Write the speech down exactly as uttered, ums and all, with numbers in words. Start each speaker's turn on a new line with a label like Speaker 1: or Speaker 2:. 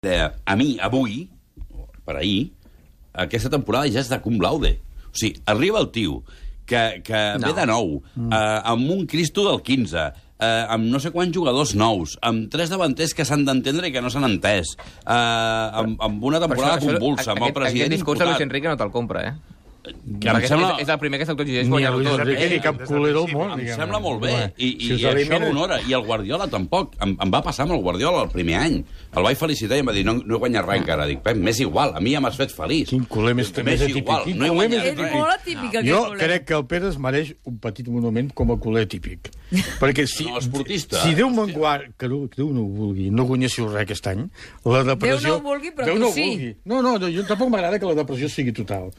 Speaker 1: Deia, a mi, avui, per ahir, aquesta temporada ja és de cum laude. O sigui, arriba el tio que, que no. ve de nou, mm. eh, amb un Cristo del quinze, eh, amb no sé quants jugadors nous, amb tres davanters que s'han d'entendre i que no s'han entès, eh, amb, amb una temporada això, convulsa, amb el president
Speaker 2: aquest discurs de Luis Enrique no te'l compra, eh?
Speaker 1: Que em sembla...
Speaker 2: És el primer que s'autogigeix guanyar-ho tot.
Speaker 3: Ni Luis cap culero al món.
Speaker 1: Em sembla molt bé, i, i, i això l'honora. I el Guardiola tampoc. Em, em va passar amb el Guardiola el primer any. El vaig felicitar i em va dir, no, no he guanyat res encara. Dic, Pep, m'és igual, a mi ja m'has fet feliç.
Speaker 3: Quin culer més, més atípic.
Speaker 1: No he guanyat
Speaker 4: res. És molt atípic, aquest
Speaker 3: Jo
Speaker 4: culer.
Speaker 3: crec que el Pere es mereix un petit monument com a culer típic. Perquè si,
Speaker 1: no, esportista.
Speaker 3: Si Déu me'n guard, que Déu no ho vulgui, no guanyéssiu res aquest any, la depressió...
Speaker 4: Déu no ho vulgui, però
Speaker 3: Déu
Speaker 4: tu
Speaker 3: no
Speaker 4: sí.
Speaker 3: Vulgui. No, no, jo tampoc m'agrada que la depressió sigui total.